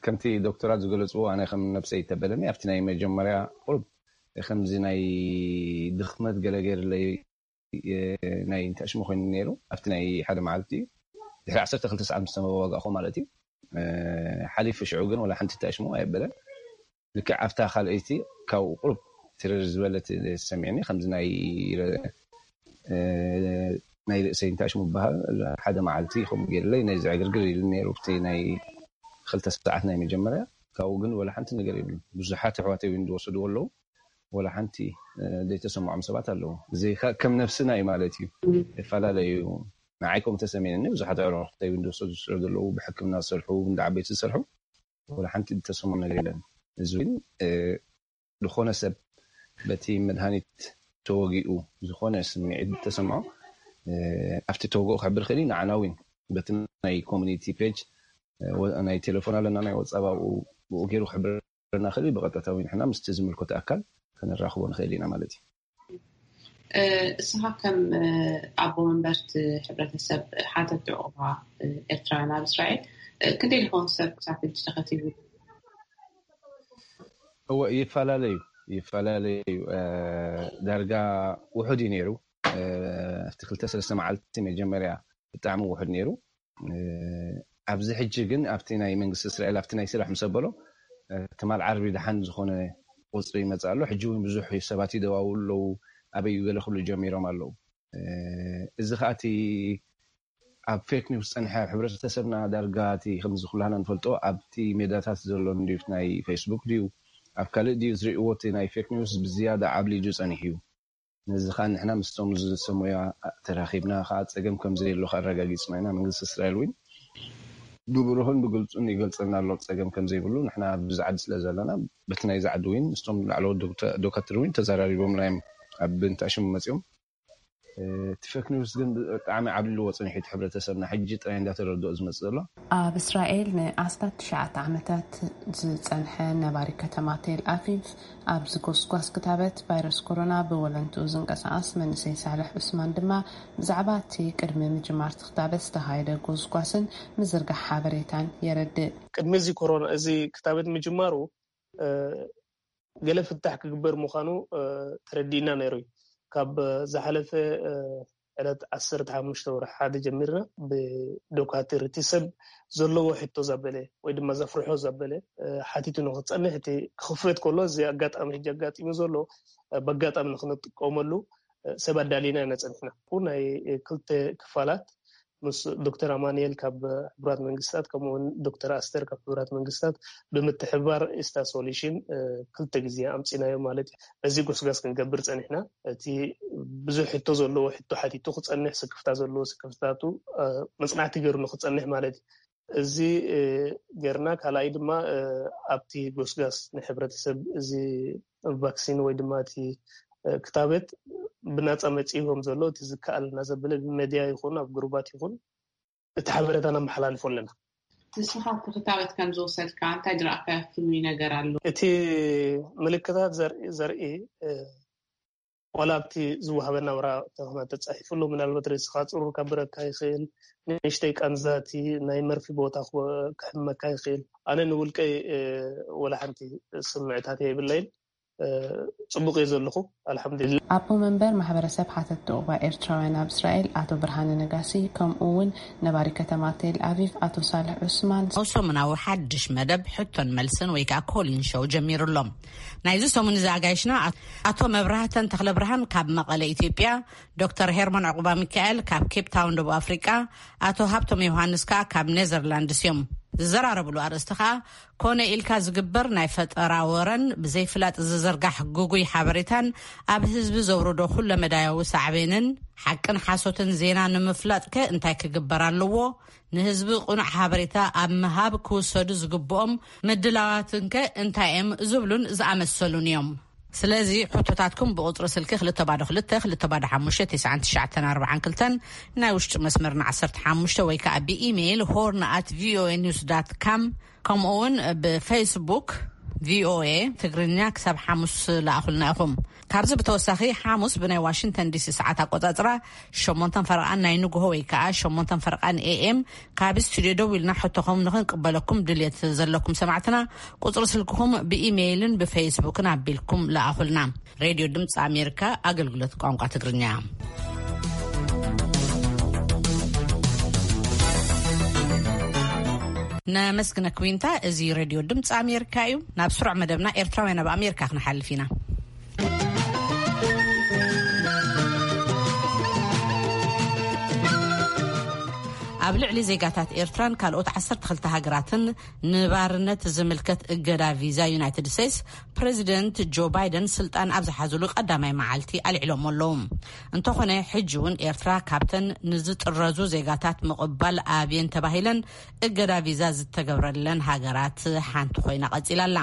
ከምቲ ዶክተራት ዝገለፅዎ ኣነ ከም ነብሰይ ተበለኒ ኣብቲ ናይ መጀመርያ ቁሩብ ከምዚ ናይ ድኽመት ገለገለይ ናይ እንተሽሙ ኮይኑ ነይሩ ኣብቲ ናይ ሓደ መዓልቲ እዩ። ድሕሪ ዓሰርተ ክልተ ሰዓት ምስ ተመዋጋእኹ ማለት እዩ። ሓሊፉ ሽዑ ግን ወላ ሓንቲ ተሽሙ ኣይበለን። ልክዕ ኣብታ ካልኣይቲ ካብኡ ቁሩብ ትርር ዝበለት ሰሚዕኒ ከምዚ ናይ ናይ ርእሰይ እንታይ ሽሙ በሃል ሓደ መዓልቲ ከምኡ ገይርለይ ናይ ዘዕግርግር ኢሉ ነይሩ ኣብቲ ናይ ክልተ ሰዓት ናይ መጀመርያ። ካብኡ ግን ወላ ሓንቲ ነገር የብሉ። ብዙሓት ኣሕዋተይ እውን ዝወሰድዎ ኣለዉ። ወላ ሓንቲ ዘይተሰምዖም ሰባት ኣለዉ። እዚ ከም ነብስና እዩ ማለት እዩ። ይፈላለዩ። ንዓይ ከም ተሰሚዕኒ ብዙሓት ኣዕሩኽተይ እውን ዝወሰዱ ስለ ዘለዉ ብሕክምና ዝሰርሑ እንዳ ዓበይቲ ዝሰርሑ ወላ ሓንቲ ዝተሰምዖም ነገር የለን። እዚ እውን ዝኾነ ሰብ በቲ መድሃኒት ተወጊኡ ዝኾነ ስምዒት ተሰምዖ ኣብቲ ተወግኦ ክሕብር ክእል። ንዓና እውን በቲ ናይ ኮሚኒቲ ፔጅ ናይ ቴሌፎን ኣለና ናይ ወፃብ ኣብኡ ብኡ ገይሩ ክሕብረና ክእል። ብቐጥታ እውን ንሕና ምስቲ ዝምልከቶ ኣካል ከነራኽቦ ንኽእል ኢና ማለት እዩ። እስኻ ከም ኣቦ መንበርቲ ሕብረተሰብ ሓተት ዑቕባ ኤርትራውያን ኣብ እስራኤል ክንደይ ዝኾን ሰብ ክሳብ ሕጂ ተኸቲቡ? እወ ይፈላለዩ ይፈላለዩ። ዳርጋ ውሑድ እዩ ነይሩ። ኣብቲ ክልተ ሰለስተ መዓልቲ መጀመርያ ብጣዕሚ ውሑድ ነይሩ። ኣብዚ ሕጂ ግን ኣብቲ ናይ መንግስቲ እስራኤል ኣብቲ ናይ ስራሕ ምስ ኣበሎ ትማል ዓርቢ ደሓን ዝኾነ ቁፅሪ ይመፅእ ኣሎ። ሕጂ እውን ብዙሕ ሰባት ይደዋውሉ ኣለዉ። ኣበይ እዩ ገለ ክብሉ ጀሚሮም ኣለዉ። እዚ ከዓ እቲ ኣብ ፌክ ኒውስ ፀንሐ ኣብ ሕብረተሰብና ዳርጋ እቲ ከምዚ ኩላህና ንፈልጦ ኣብቲ ሜዳታት ዘሎ እንድዩ ናይ ፌስቡክ ድዩ ኣብ ካልእ ድዩ ዝርእዎ እቲ ናይ ፌክ ኒውስ ብዝያዳ ዓብሊጁ ፀኒሑ እዩ። ነዚ ከዓ ንሕና ምስቶም ዝሰሙያ ተራኺብና ከዓ ፀገም ከም ዘየሎ ኣረጋጊፅና ኢና። መንግስቲ እስራኤል እውን ብብሩህን ብግልፁን ይገልፀልና ኣሎ ፀገም ከም ዘይብሉ። ንሕና ኣብዚ ዓዲ ስለ ዘለና በቲ ናይዚ ዓዲ እውን ምስቶም ላዕለዎት ዶክተር እውን ተዘራሪቦምና እዮም። ኣብ ብንታ ሽሙ መፂኦም እቲ ፌክ ኒውስ ግን ብጣዕሚ ዓብሊልዎ ፀኒሑ እቲ ሕብረተሰብና ሕጂ ጥራይ እንዳተረድኦ ዝመፅእ ዘሎ። ኣብ እስራኤል ንኣስታት ትሽዓተ ዓመታት ዝፀንሐ ነባሪ ከተማ ቴል ኣቪቭ ኣብዚ ጎስጓስ ክታበት ቫይረስ ኮሮና ብወለንትኡ ዝንቀሳቐስ መንእሰይ ሳልሕ ዑስማን ድማ ብዛዕባ እቲ ቅድሚ ምጅማር እቲ ክታበት ዝተኻየደ ጎስጓስን ምዝርጋሕ ሓበሬታን የረድእ። ቅድሚ እዚ ኮሮና እዚ ክታበት ምጅማሩ ገለ ፍታሕ ክግበር ምዃኑ ተረዲእና ነይሩ እዩ። ካብ ዝሓለፈ ዕለት ዓሰርተ ሓሙሽተ ወርሒ ሓደ ጀሚርና ብዶካትር እቲ ሰብ ዘለዎ ሕቶ ዘበለ ወይ ድማ ዘፍርሖ ዘበለ ሓቲቱ ንክፀንሕ እቲ ክኽፈት ከሎ እዚ ኣጋጣሚ ሕጂ ኣጋጢሙ ዘሎ በጋጣሚ ንክንጥቀመሉ ሰብ ኣዳሊና ኢና ፀኒሕና። ናይ ክልተ ክፋላት ምስ ዶክተር ኣማንኤል ካብ ሕቡራት መንግስታት ከምኡውን ዶክተር ኣስተር ካብ ሕቡራት መንግስታት ብምትሕባር ኢስታ ሶሉሽን ክልተ ግዜ ኣምፂናዮ ማለት እዩ። በዚ ጎስጋስ ክንገብር ፀኒሕና። እቲ ብዙሕ ሕቶ ዘለዎ ሕቶ ሓቲቱ ክፀንሕ፣ ስክፍታ ዘለዎ ስክፍታቱ መፅናዕቲ ገይሩ ንክፀንሕ ማለት እዩ። እዚ ገርና ካልኣይ ድማ ኣብቲ ጎስጋስ ንሕብረተሰብ እዚ ቫክሲን ወይ ድማ እቲ ክታበት ብናፃ መፂኡ ከም ዘሎ እቲ ዝከኣል እናዘበለ ብመድያ ይኹን ኣብ ግሩባት ይኹን እቲ ሓበሬታ ነመሓላልፎ ኣለና። ንስኻ እቲ ክታበት ከም ዝወሰድካ እንታይ ዝረኣካዮ ፍሉይ ነገር ኣሎ? እቲ ምልክታት ዘርኢ ዘርኢ ዋላ ኣብቲ ዝወሃበና ወረቐት ተጻሒፉ ኣሎ። ምናልባት ርእስኻ ጽሩር ከብረካ ይኽእል፣ ንእሽተይ ቃንዛ እቲ ናይ መርፊ ቦታ ክሕመካ ይኽእል። ኣነ ንውልቀይ ወላ ሓንቲ ስምዕታት የብለይን። ጽቡቕ እየ ዘለኹ ኣልሓምዱሊላ። ኣቦ መንበር ማሕበረሰብ ሓተትቲ ዑቕባ ኤርትራውያን ኣብ እስራኤል ኣቶ ብርሃነ ነጋሲ ከምኡ እውን ነባሪ ከተማ ቴል ኣቪቭ ኣቶ ሳልሕ ዑስማን። ኣብ ሰሙናዊ ሓድሽ መደብ ሕቶን መልስን ወይ ከዓ ኮሊን ሾው ጀሚሩ ኣሎ። ናይዚ ሰሙን እዚ ኣጋይሽና ኣቶ መብራህተን ተኽለ ብርሃን ካብ መቐለ ኢትዮጵያ፣ ዶክተር ሄርሞን ዕቑባ ሚካኤል ካብ ኬፕ ታውን ደቡብ ኣፍሪቃ፣ ኣቶ ሃብቶም ዮሃንስ ከዓ ካብ ኔዘርላንድስ እዮም። ዝዘራረብሉ ኣርእስቲ ከኣ፣ ኮነ ኢልካ ዝግበር ናይ ፈጠራ ወረን ብዘይፍላጥ ዝዝርጋሕ ግጉይ ሓበሬታን ኣብ ህዝቢ ዘውርዶ ኩለመዳያዊ ሳዕቤንን፣ ሓቅን ሓሶትን ዜና ንምፍላጥከ እንታይ ክግበር ኣለዎ? ንህዝቢ ቅኑዕ ሓበሬታ ኣብ ምሃብ ክውሰዱ ዝግብኦም ምድላዋትንከ እንታይ እዮም? ዝብሉን ዝኣመሰሉን እዮም። ስለዚ ሕቶታትኩም ብቁጽሪ ስልኪ ክልተ ባዶ ክልተ፣ ክልተ ባዶ ሓሙሽተ፣ ትሽዓን ትሽዓተን ኣርባዓን ክልተን፣ ናይ ውሽጢ መስመርና ዓሰርተ ሓሙሽተ ወይ ከኣ ብኢሜይል ሆርን ኣት ቪኦኤ ኒውስ ዳት ካም፣ ከምኡ እውን ብፌስቡክ ቪኦኤ ትግርኛ ክሳብ ሓሙስ ለኣኹልና ኢኹም። ካብዚ ብተወሳኺ ሓሙስ ብናይ ዋሽንግተን ዲሲ ሰዓት ኣቆጻጽራ ሸሞንተን ፈረቓን ናይ ንግሆ ወይ ከኣ ሸሞንተን ፈረቓን ኤኤም ካብ ስቱዲዮ ደው ኢልና ሕቶኹም ንኽንቅበለኩም ድልየት ዘለኩም ሰማዕትና፣ ቁጽሪ ስልክኹም ብኢሜይልን ብፌስቡክን ኣቢልኩም ለኣኹልና። ሬድዮ ድምፂ ኣሜሪካ፣ ኣገልግሎት ቋንቋ ትግርኛ። ነመስግነኪ ዊንታ። እዚ ሬድዮ ድምፂ ኣሜሪካ እዩ። ናብ ስሩዕ መደብና ኤርትራውያን ኣብ ኣሜሪካ ክንሓልፍ ኢና። ኣብ ልዕሊ ዜጋታት ኤርትራን ካልኦት ዓሰርተ ክልተ ሃገራትን ንባርነት ዝምልከት እገዳ ቪዛ ዩናይትድ ስቴትስ ፕሬዚደንት ጆ ባይደን ስልጣን ኣብ ዝሓዝሉ ቀዳማይ መዓልቲ ኣልዒሎሞ ኣለዉ። እንተኾነ፣ ሕጂ እውን ኤርትራ ካብተን ንዝጥረዙ ዜጋታት ምቕባል ኣብየን ተባሂለን እገዳ ቪዛ ዝተገብረለን ሃገራት ሓንቲ ኮይና ቀጺላ ኣላ።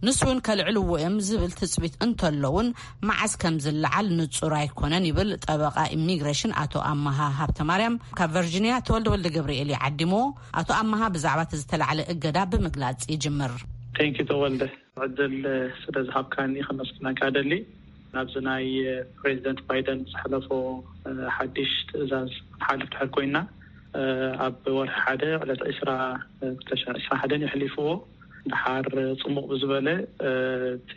ንሱ እውን ከልዕልዎ እዮም ዝብል ትጽቢት እንተሎ እውን፣ መዓስ ከም ዝለዓል ንጹር ኣይኮነን ይብል ጠበቓ ኢሚግሬሽን ኣቶ ኣመሃ ሃብተማርያም። ካብ ቨርጂኒያ ተወልደ ወልደ ገብርኤል እዩ ዓዲሞ። ኣቶ ኣመሃ ብዛዕባ እቲ ዝተላዕለ እገዳ ብምግላጽ ይጅምር። ቴንኪ ተወልደ፣ ዕድል ስለ ዝሃብካኒ ከመስግነካ ደሊ። ናብዚ ናይ ፕሬዚደንት ባይደን ዝሓለፎ ሓድሽ ትእዛዝ ንሓልፍ ድሕር ኮይና፣ ኣብ ወርሒ ሓደ ዕለት ዕስራ ክልተ ሺሕ ዕስራን ሓደን የሕሊፍዎ። ድሓር ጽሙቕ ብዝበለ፣ እቲ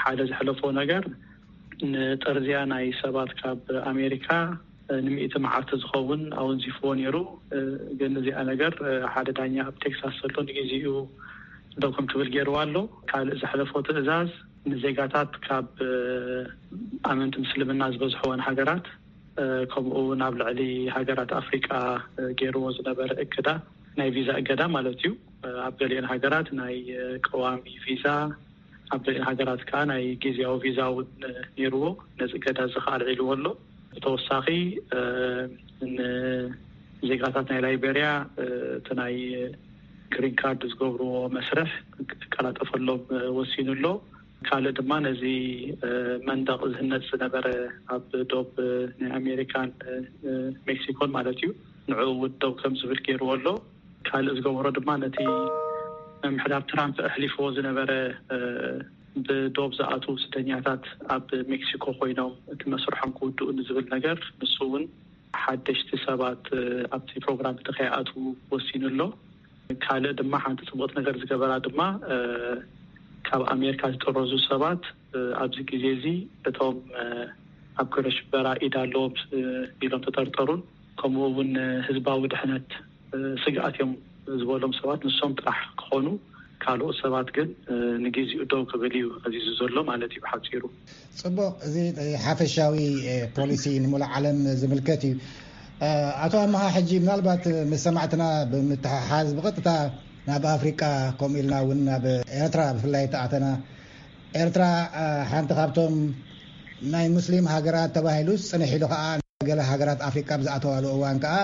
ሓደ ዝሕለፎ ነገር ንጥርዝያ ናይ ሰባት ካብ ኣሜሪካ ንሚእቲ መዓልቲ ዝኸውን ኣወንዚፍዎ ነይሩ። ግን እዚኣ ነገር ሓደ ዳኛ ኣብ ቴክሳስ ዘሎ ንግዜኡ ደው ከም ትብል ገይርዋ ኣሎ። ካልእ ዘሕለፎ ትእዛዝ ንዜጋታት ካብ ኣመንቲ ምስልምና ዝበዝሕወን ሃገራት፣ ከምኡ እውን ኣብ ልዕሊ ሃገራት ኣፍሪቃ ገይርዎ ዝነበረ እገዳ፣ ናይ ቪዛ እገዳ ማለት እዩ። ኣብ ገሊአን ሃገራት ናይ ቀዋሚ ቪዛ፣ ኣብ ገሊአን ሃገራት ከዓ ናይ ግዜያዊ ቪዛ እውን ነይርዎ። ነዚ እገዳ እዚ ከዓ ኣልዒልዎ ኣሎ። ብተወሳኺ፣ እ፣ ንዜጋታት ናይ ላይቤርያ፣ እ፣ እቲ ናይ ግሪን ካርድ ዝገብርዎ መስርሕ ክቀላጠፈሎም ወሲኑ ኣሎ። ካልእ ድማ ነዚ፣ እ፣ መንደቕ ዝህነጽ ዝነበረ ኣብ ዶብ ናይ ኣሜሪካን፣ እ፣ ሜክሲኮን ማለት እዩ፣ ንዕኡ እውን ደው ከም ዝብል ገይርዎ ኣሎ። ካልእ ዝገበሮ ድማ ነቲ ምምሕዳር ትራምፕ ኣሕሊፍዎ ዝነበረ፣ እ፣ ብዶብ ዝኣትዉ ስደኛታት ኣብ ሜክሲኮ ኮይኖም እቲ መስርሖም ክውድኡ ንዝብል ነገር፣ ንሱ እውን ሓደሽቲ ሰባት፣ እ፣ ኣብቲ ፕሮግራም እቲ ከይኣትዉ ወሲኑ ኣሎ። ካልእ ድማ ሓንቲ ጽቡቕቲ ነገር ዝገበራ ድማ፣ እ፣ ካብ ኣሜሪካ ዝጥረዙ ሰባት፣ እ፣ ኣብዚ ግዜ እዚ እቶም፣ እ፣ ኣብ ግብረ ሽበራ ኢድ ኣለዎም፣ እ፣ ኢሎም ተጠርጠሩን ከምኡ እውን ህዝባዊ ድሕነት፣ እ፣ ስግኣት እዮም ዝበሎም ሰባት ንሶም ጥራሕ ክኾኑ፣ ካልኦት ሰባት ግን፣ እ፣ ንግዜኡ ደው ክብል እዩ ኣዚዙ ዘሎ ማለት እዩ ብሓጺሩ። ጽቡቕ፣ እዚ ሓፈሻዊ፣ እ፣ ፖሊሲ ንሙሉእ ዓለም ዝምልከት እዩ። እ፣ ኣቶ ኣመሃ፣ ሕጂ ምናልባት ምስ ሰማዕትና ብምትሕሓዝ ብቐጥታ ናብ ኣፍሪቃ፣ ከምኡ ኢልና እውን ናብ ኤርትራ ብፍላይ ተኣተና። ኤርትራ፣ እ፣ ሓንቲ ካብቶም ናይ ሙስሊም ሃገራት ተባሂሉስ ጽንሕ ኢሉ ከኣ ገለ ሃገራት ኣፍሪቃ ብዝኣተዋሉ እዋን ከኣ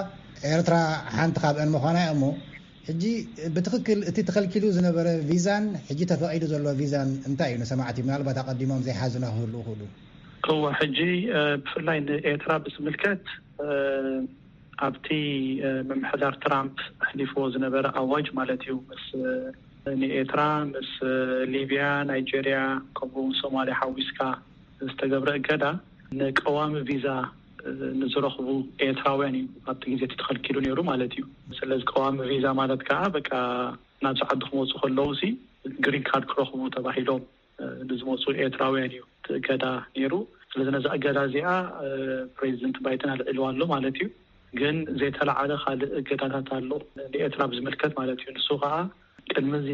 ኤርትራ ሓንቲ ካብአን ምዃና እያ። እሞ ሕጂ ብትኽክል እቲ ተኸልኪሉ ዝነበረ ቪዛን ሕጂ ተፈቒዱ ዘሎ ቪዛን እንታይ እዩ? ንሰማዕቲ ምናልባት ኣቐዲሞም ዘይሓዙና ክህልዉ ይኽእሉ። እወ፣ ሕጂ፣ እ፣ ብፍላይ ንኤርትራ ብዝምልከት፣ እ፣ ኣብቲ፣ እ፣ ምምሕዳር ትራምፕ ኣሕሊፍዎ ዝነበረ ኣዋጅ ማለት እዩ፣ ምስ፣ እ፣ ንኤርትራ፣ ምስ፣ እ፣ ሊብያ፣ ናይጄርያ፣ ከምኡ እውን ሶማልያ ሓዊስካ ዝተገብረ እገዳ፣ ንቀዋሚ ቪዛ፣ እ፣ ንዝረኽቡ ኤርትራውያን እዩ ኣብቲ ግዜ እቲ ተኸልኪሉ ነይሩ ማለት እዩ። ስለዚ ቀዋሚ ቪዛ ማለት ከዓ በቃ ናብዚ ዓዲ ክመፁ ከለዉ ሲ ግሪን ካርድ ክረኽቡ ተባሂሎም፣ እ፣ ንዝመፁ ኤርትራውያን እዩ እቲ እገዳ ነይሩ። ስለዚ ነዛ እገዳ እዚኣ፣ እ፣ ፕሬዚደንት ባይደን ኣልዒልዋ ኣሎ ማለት እዩ። ግን ዘይተለዓለ ካልእ እገዳታት ኣሎ ንኤርትራ ብዝምልከት ማለት እዩ። ንሱ ከዓ ቅድሚ እዚ፣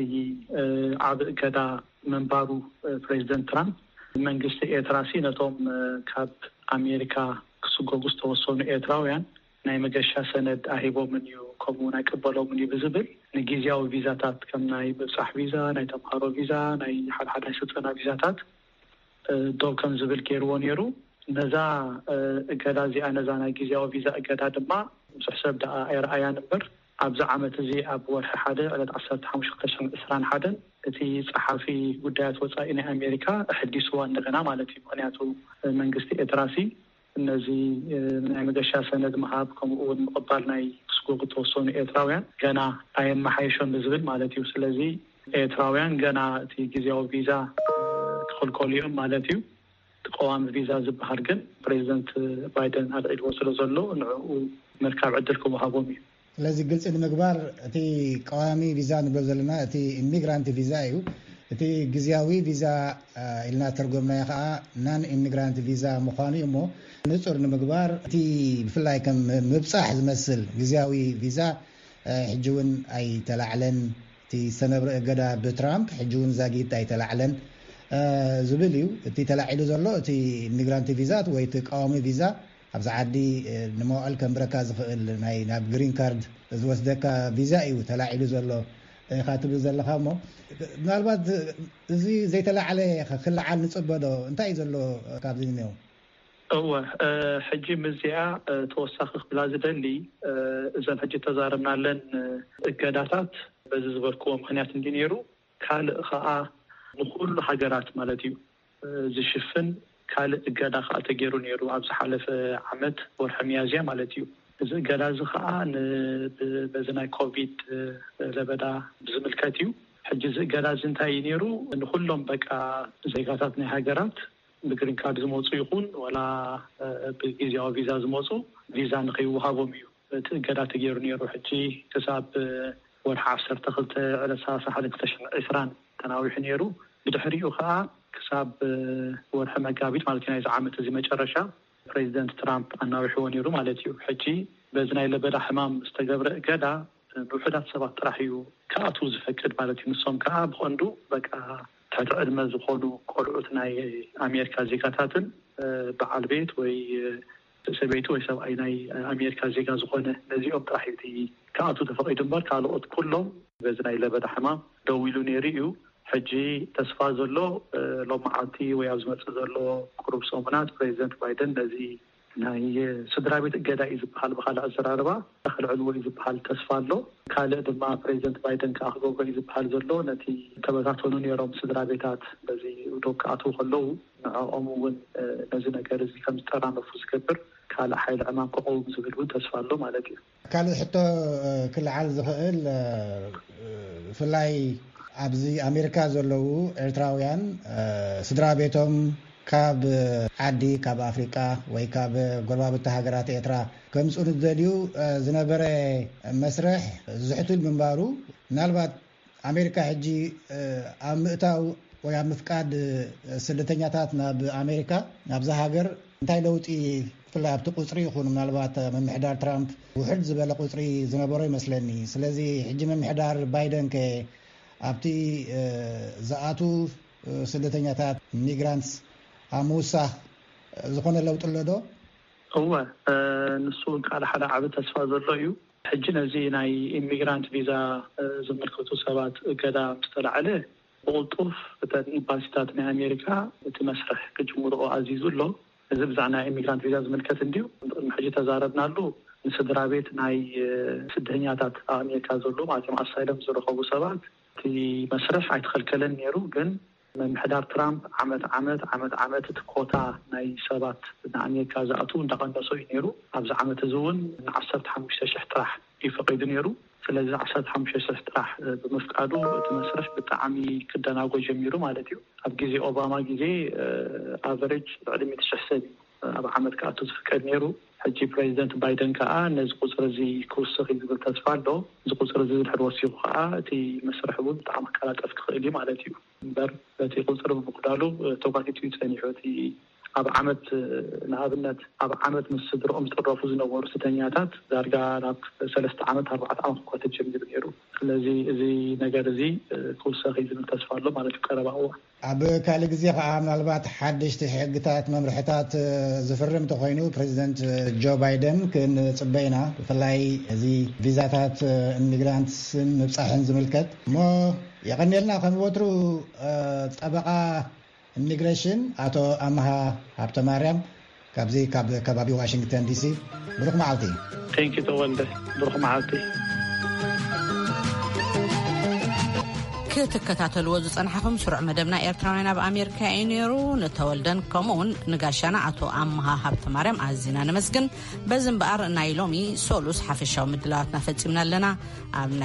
እ፣ ዓቢ እገዳ ምንባሩ፣ እ፣ ፕሬዚደንት ትራምፕ መንግስቲ ኤርትራ ሲ ነቶም፣ እ፣ ካብ ኣሜሪካ ክስጎጉ ዝተወሰኑ ኤርትራውያን ናይ መገሻ ሰነድ ኣሂቦምን እዩ ከምኡ እውን ኣይቅበሎምን እዩ ብዝብል፣ ንግዜያዊ ቪዛታት ከም ናይ ምብጻሕ ቪዛ፣ ናይ ተምሃሮ ቪዛ፣ ናይ ሓደ ሓደ ናይ ስልጠና ቪዛታት ደው ከም ዝብል ገይርዎ ነይሩ። ነዛ እገዳ እዚኣ፣ ነዛ ናይ ግዜያዊ ቪዛ እገዳ ድማ ብዙሕ ሰብ ደኣ ኣይረኣያን እምበር፣ ኣብዚ ዓመት እዚ ኣብ ወርሒ ሓደ ዕለት ዓሰርተ ሓሙሽተ ክልተ ሽሕን ዕስራን ሓደን እቲ ጸሓፊ ጉዳያት ወጻኢ ናይ ኣሜሪካ ኣሐዲስዋ እንደገና ማለት እዩ። ምኽንያቱ መንግስቲ ኤርትራሲ ነዚ ናይ መገሻ ሰነድ ምሃብ፣ ከምኡ እውን ምቕባል ናይ ክስጎጉ ተወሰኑ ኤርትራውያን ገና ኣየመሓየሾን ብዝብል ማለት እዩ። ስለዚ ኤርትራውያን ገና እቲ ግዜያዊ ቪዛ ክኽልከሉ እዮም ማለት እዩ። እቲ ቀዋሚ ቪዛ ዝበሃል ግን ፕሬዚደንት ባይደን ኣልዒልዎ ስለ ዘሎ ንዕኡ ምርካብ ዕድል ክወሃቦም እዩ። ስለዚ ግልፂ ንምግባር እቲ ቀዋሚ ቪዛ ንብሎ ዘለና እቲ ኢሚግራንት ቪዛ እዩ። እቲ ግዜያዊ ቪዛ ኢልና ተርጎምናዮ ከዓ ናን ኢሚግራንት ቪዛ ምዃኑ እዩ። እሞ ንፁር ንምግባር እቲ ብፍላይ ከም ምብፃሕ ዝመስል ግዜያዊ ቪዛ ሕጂ እውን ኣይተላዕለን። እቲ ዝተነብረ እገዳ ብትራምፕ ሕጂ እውን ዛጊት ኣይተላዕለን ዝብል እዩ። እቲ ተላዒሉ ዘሎ እቲ ኢሚግራንት ቪዛ ወይ እቲ ቀዋሚ ቪዛ ኣብዚ ዓዲ ንመዋዕል ከንብረካ ዝኽእል ናይ ናብ ግሪን ካርድ ዝወስደካ ቪዛ እዩ ተላዒሉ ዘሎ ኢኻ ትብል ዘለኻ። እሞ ምናልባት እዚ ዘይተላዕለ ክልዓል ንፅበዶ እንታይ እዩ ዘሎ ካብዚ እኒኦ? እወ፣ ሕጂ ምስዚኣ ተወሳኺ ክብላ ዝደሊ፣ እዘን ሕጂ ተዛረብናለን እገዳታት በዚ ዝበልክዎ ምኽንያት እንዲ ነይሩ፣ ካልእ ኸኣ ንኹሉ ሃገራት ማለት እዩ ዝሽፍን ካልእ እገዳ ኸኣ ተገይሩ ነይሩ ኣብ ዝሓለፈ ዓመት ወርሒ ሚያዝያ ማለት እዩ። እዚ እገዳ እዚ ኸኣ በዚ ናይ ኮቪድ ለበዳ ብዝምልከት እዩ። ሕጂ እዚ እገዳ እዚ እንታይ እዩ ነይሩ? ንኹሎም በቃ ዜጋታት ናይ ሃገራት ብግሪን ካርድ ዝመፁ ይኹን ዋላ ብግዜያዊ ቪዛ ዝመፁ ቪዛ ንኸይወሃቦም እዩ እቲ እገዳ ተገይሩ ነይሩ። ሕጂ ክሳብ ወርሒ ዓሰርተ ክልተ ዕለት ሰላሳ ሓደ ክልተ ሽሕን ዕስራን ተናዊሑ ነይሩ። ብድሕሪኡ ከዓ ክሳብ ወርሒ መጋቢት ማለት ናይዚ ዓመት እዚ መጨረሻ ፕሬዚደንት ትራምፕ ኣናዊሕዎ ነይሩ ማለት እዩ። ሕጂ በዚ ናይ ለበዳ ሕማም ዝተገብረ እገዳ ንውሑዳት ሰባት ጥራሕ እዩ ክኣትዉ ዝፈቅድ ማለት እዩ። ንሶም ከዓ ብቐንዱ በቃ ትሕቲ ዕድመ ዝኾኑ ቆልዑት ናይ ኣሜሪካ ዜጋታትን በዓል ቤት ወይ ሰበይቲ ወይ ሰብኣይ ናይ ኣሜሪካ ዜጋ ዝኾነ ነዚኦም ጥራሕ እዩ እቲ ክኣትዉ ተፈቒዱ እምበር ካልኦት ኩሎም በዚ ናይ ለበዳ ሕማም ደው ኢሉ ነይሩ እዩ። ሕጂ ተስፋ ዘሎ ሎመዓልቲ ወይ ኣብ ዝመፅእ ዘሎ ቁሩብ ሰሙናት ፕሬዚደንት ባይደን ነዚ ናይ ስድራ ቤት እገዳ እዩ ዝበሃል ብካልእ ኣዘራርባ ከልዕልዎ እዩ ዝበሃል ተስፋ ኣሎ። ካልእ ድማ ፕሬዚደንት ባይደን ከዓ ክገብሮ እዩ ዝበሃል ዘሎ ነቲ ተበታተኑ ነይሮም ስድራ ቤታት በዚ ዶብ ክኣትዉ ከለዉ ንዕኦም እውን ነዚ ነገር እዚ ከም ዝጠራነፉ ዝገብር ካልእ ሓይሊ ዕማም ክቐውም ዝብል እውን ተስፋ ኣሎ ማለት እዩ። ካልእ ሕቶ ክልዓል ዝኽእል ብፍላይ ኣብዚ ኣሜሪካ ዘለዉ ኤርትራውያን ስድራ ቤቶም ካብ ዓዲ ካብ ኣፍሪቃ ወይ ካብ ጎረባብቲ ሃገራት ኤርትራ ከምፅኡ ንዝደልዩ ዝነበረ መስርሕ ዝሕቱል ምንባሩ ምናልባት ኣሜሪካ ሕጂ ኣብ ምእታው ወይ ኣብ ምፍቃድ ስደተኛታት ናብ ኣሜሪካ ናብዛ ሃገር እንታይ ለውጢ ብፍላይ ኣብቲ ቁፅሪ ይኹን ምናልባት ምምሕዳር ትራምፕ ውሕድ ዝበለ ቁፅሪ ዝነበሮ ይመስለኒ። ስለዚ ሕጂ ምምሕዳር ባይደን ከ ኣብቲ ዝኣቱ ስደተኛታት ሚግራንትስ ኣብ ምውሳኽ ዝኾነ ለውጢ ኣሎ ዶ? እወ፣ ንሱ እውን ካልእ ሓደ ዓቢ ተስፋ ዘሎ እዩ። ሕጂ ነዚ ናይ ኢሚግራንት ቪዛ ዝምልከቱ ሰባት እገዳ ምስ ተላዕለ ብቕልጡፍ እተን ኤምባሲታት ናይ ኣሜሪካ እቲ መስርሕ ክጅምርኦ ኣዚዙ ኣሎ። እዚ ብዛዕባ ናይ ኢሚግራንት ቪዛ ዝምልከት እንድዩ። ቅድሚ ሕጂ ተዛረብናሉ ንስድራ ቤት ናይ ስደተኛታት ኣብ ኣሜሪካ ዘሎ ማለት እዮም ኣሳይለም ዝረኸቡ ሰባት እቲ መስርሕ ኣይተኸልከለን ነይሩ። ግን ምምሕዳር ትራምፕ ዓመት ዓመት ዓመት ዓመት እቲ ኮታ ናይ ሰባት ንኣሜሪካ ዝኣትዉ እንዳቐነሶ እዩ ነይሩ። ኣብዚ ዓመት እዚ እውን ንዓሰርተ ሓሙሽተ ሽሕ ጥራሕ እዩ ፈቒዱ ነይሩ። ስለዚ ዓሰርተ ሓሙሽተ ሽሕ ጥራሕ ብምፍቃዱ እቲ መስርሕ ብጣዕሚ ክደናጎ ጀሚሩ ማለት እዩ። ኣብ ግዜ ኦባማ ግዜ ኣቨሬጅ ልዕሊ ሚእቲ ሽሕ ሰብ እዩ ኣብ ዓመት ክኣቱ ዝፍቀድ ነይሩ። ሕጂ ፕሬዚደንት ባይደን ከዓ ነዚ ቁፅሪ እዚ ክውስኽ እዩ ዝብል ተስፋ ኣሎ። እዚ ቁፅሪ እዚ ድሕሪ ወሲኹ ከዓ እቲ መስርሕ እውን ብጣዕሚ ክቀላጠፍ ክኽእል እዩ ማለት እዩ። እምበር በቲ ቁፅሪ ብምጉዳሉ ተጓቲቱ እዩ ፀኒሑ እቲ ኣብ ዓመት፣ ንኣብነት፣ ኣብ ዓመት ምስ ስድርኦም ዝጥረፉ ዝነበሩ ስደተኛታት ዳርጋ ናብ ሰለስተ ዓመት፣ ኣርባዕተ ዓመት እኳ ተጀሚሩ ነይሩ። ስለዚ እዚ ነገር እዚ ክውሰኽ እዩ ዝብል ተስፋ ኣሎ ማለት እዩ፣ ቀረባ እዋን። ኣብ ካልእ ግዜ ከኣ ምናልባት ሓደሽቲ ሕግታት፣ መምርሕታት ዝፍርም እንተኾይኑ፣ ፕሬዚደንት ጆ ባይደን ክንጽበ ኢና። ብፍላይ እዚ ቪዛታት ኢሚግራንትስን ምብጻሕን ዝምልከት። እሞ የቐንየልና፣ ከም ወትሩ ጠበቓ ኢሚግሬሽን ኣቶ ኣምሃ ሃብተ ማርያም፣ ካብዚ ካብ ከባቢ ዋሽንግተን ዲሲ። ብሩኽ መዓልቲ። ቴንኪ ተወልደ። ብሩኽ መዓልቲ። ክትከታተልዎ ዝጸናሕኹም ስሩዕ መደብና ኤርትራውያን ኣብ ኣሜሪካ እዩ ነይሩ። ንተወልደን ከምኡ እውን ንጋሻና ኣቶ ኣምሃ ሃብተ ማርያም ኣዚና ነመስግን። በዚ እምበኣር ናይ ሎሚ ሶሉስ ሓፈሻዊ ምድላዋትና ፈጺምና ኣለና። ኣብ